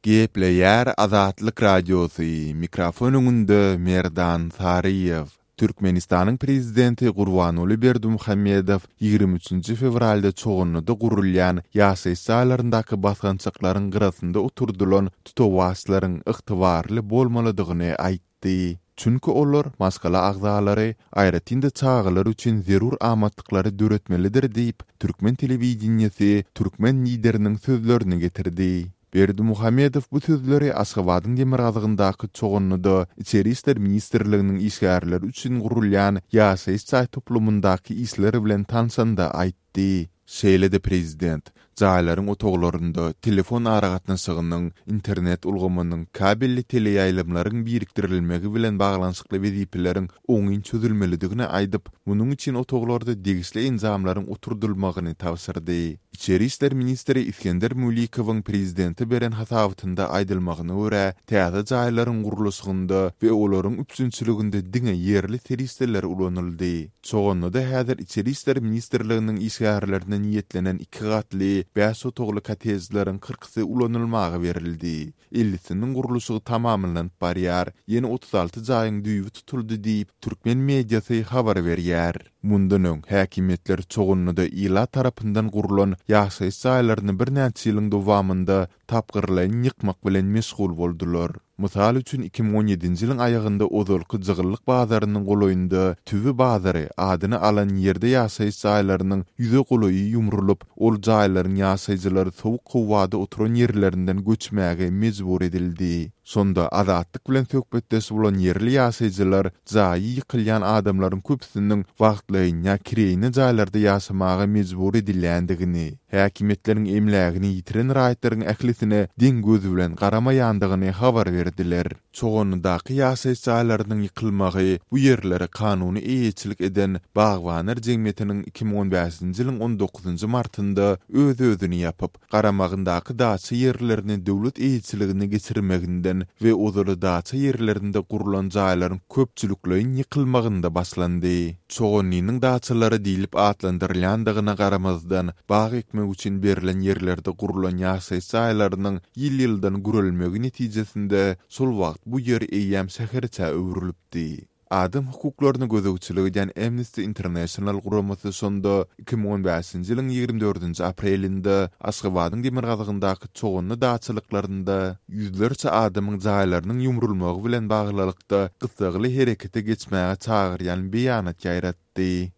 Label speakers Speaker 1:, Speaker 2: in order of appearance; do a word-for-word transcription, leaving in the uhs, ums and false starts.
Speaker 1: Gepleýär Azatlyk Radiosy, mikrofon öňünde Merdan Saryýew. Türkmenistanyň prezidenti Gurbanguly Berdimuhamedow ýigrimi üçünji fewralda Çoganlyda gurulýan ýaşaýyş jaýlaryndaky basgançaklaryň gyrasynda oturdylan tutawaçlaryň ygtybarly bolmalydygyny aýtdy. Çünki olar maşgala agzalary, aýratyn-da çagalar üçin zerur amatlyklary döretmelidir diýip, türkmen telewideniýesi türkmen lideriniň sözlerini getirdi. Berdimuhamedow bu sözleri Aşgabadyň demirgazygyndaky Çoganlyda Içeri işler ministrliginiň işgärleri üçin gurulýan ýaşaýyş jaý toplumyndaky işler bilen tanşanda aýtdy. Şeýle-de prezident jaýlaryň otaglarynda telefon aragatnaşygynyň, internet ulgamynyň, kabelli teleýaýlymlaryň birikdirilmegi bilen baglanyşykly wezipeleriň oňyn çözülmelidigini aýdyp, munuň üçin otaglarda degişli enjamlaryň oturdylmagyny tabşyrdy. Içeri işler ministri Isgender Mülikowyň prezidente beren hasabatynda aýdylmagyna görä, täze jaýlaryň gurluşygynda we olaryň üpjünçiliginde diňe ýerli serişdeler ulanyldy. Çoganlyda häzir Içeri işler ministrliginiň işgärlerine niýetlenen iki gatly, bäş otagly kottejleriň kyrkysy ulanylmaga berildi. Ellisiniň gurluşygy tamamlanyp barýar, ýene otuz alty jaýyň düýbi tutuldy diýip, türkmen mediasy habar berýär. Mundan öň häkimiýetler Çoganlyda ilat tarapyndan gurlan ýaşaýyş jaýlaryny birnäçe ýylyň dowamynda tapgyrlaýyn ýykmak bilen meşgul boldular. Mysal üçin, iki müň on ýedinji ýylyň aýagynda ozalky Jygyllyk bazarynyň golaýynda Tüwi bazary adyny alan ýerde ýaşaýyş jaýlarynyň ýüze golaýy ýumrulyp, ol jaýlaryň ýaşaýjylary sowuk howada oturan ýerlerinden göçmäge mejbur edildi. Şonda Azatlyk bilen söhbetdeş bolan ýerli ýaşaýjylar jaýy ýykylýan adamlaryň köpüsiniň wagtlaýyn ýa kireýine jaýlarda ýaşamaga mejbur edilýändigini, häkimiýetleriň emlägini ýitiren raýatlaryň ählisine deň göz bilen garamaýandygyny habar berdiler. Çoganlydaky ýaşaýyş jaýlarynyň ýykylmagy bu ýerlere kanuny eýeçilik eden Bagbanlar jemgyýetiniň iki müň on bäşinji ýylyň on dokuzynjy martynda öz-özüni ýapyp, garamagyndaky daça ýerlerini döwlet eýeçiligine geçirmeginden we ozaly daça ýerlerinde gurlan jaýlaryň köpçülikleýin ýykylmagynda başlandy. Çoganlynyň daçalary diýlip atlandyrylýandygyna garamazdan, bag ekmek üçin berlen ýerlerde gurlan ýaşaýyş jaýlarynyň ýyl-ýyldan gürelmegi netijesinde şol wagt bu ýer eýýäm şäherçä öwrülipdi. Adam hukuklaryny gözegçilik edýän Amnesty International guramasy şonda iki müň on bäşinji ýylyň ýigrimi dördünji aprelinde Aşgabadyň demirgazygyndaky Çoganly daçalyklarynda ýüzlerçe adamyň jaýlarynyň ýumrulmagy bilen baglylykda gyssagly herekete geçmäge çagyrýan beýanat ýaýratdy.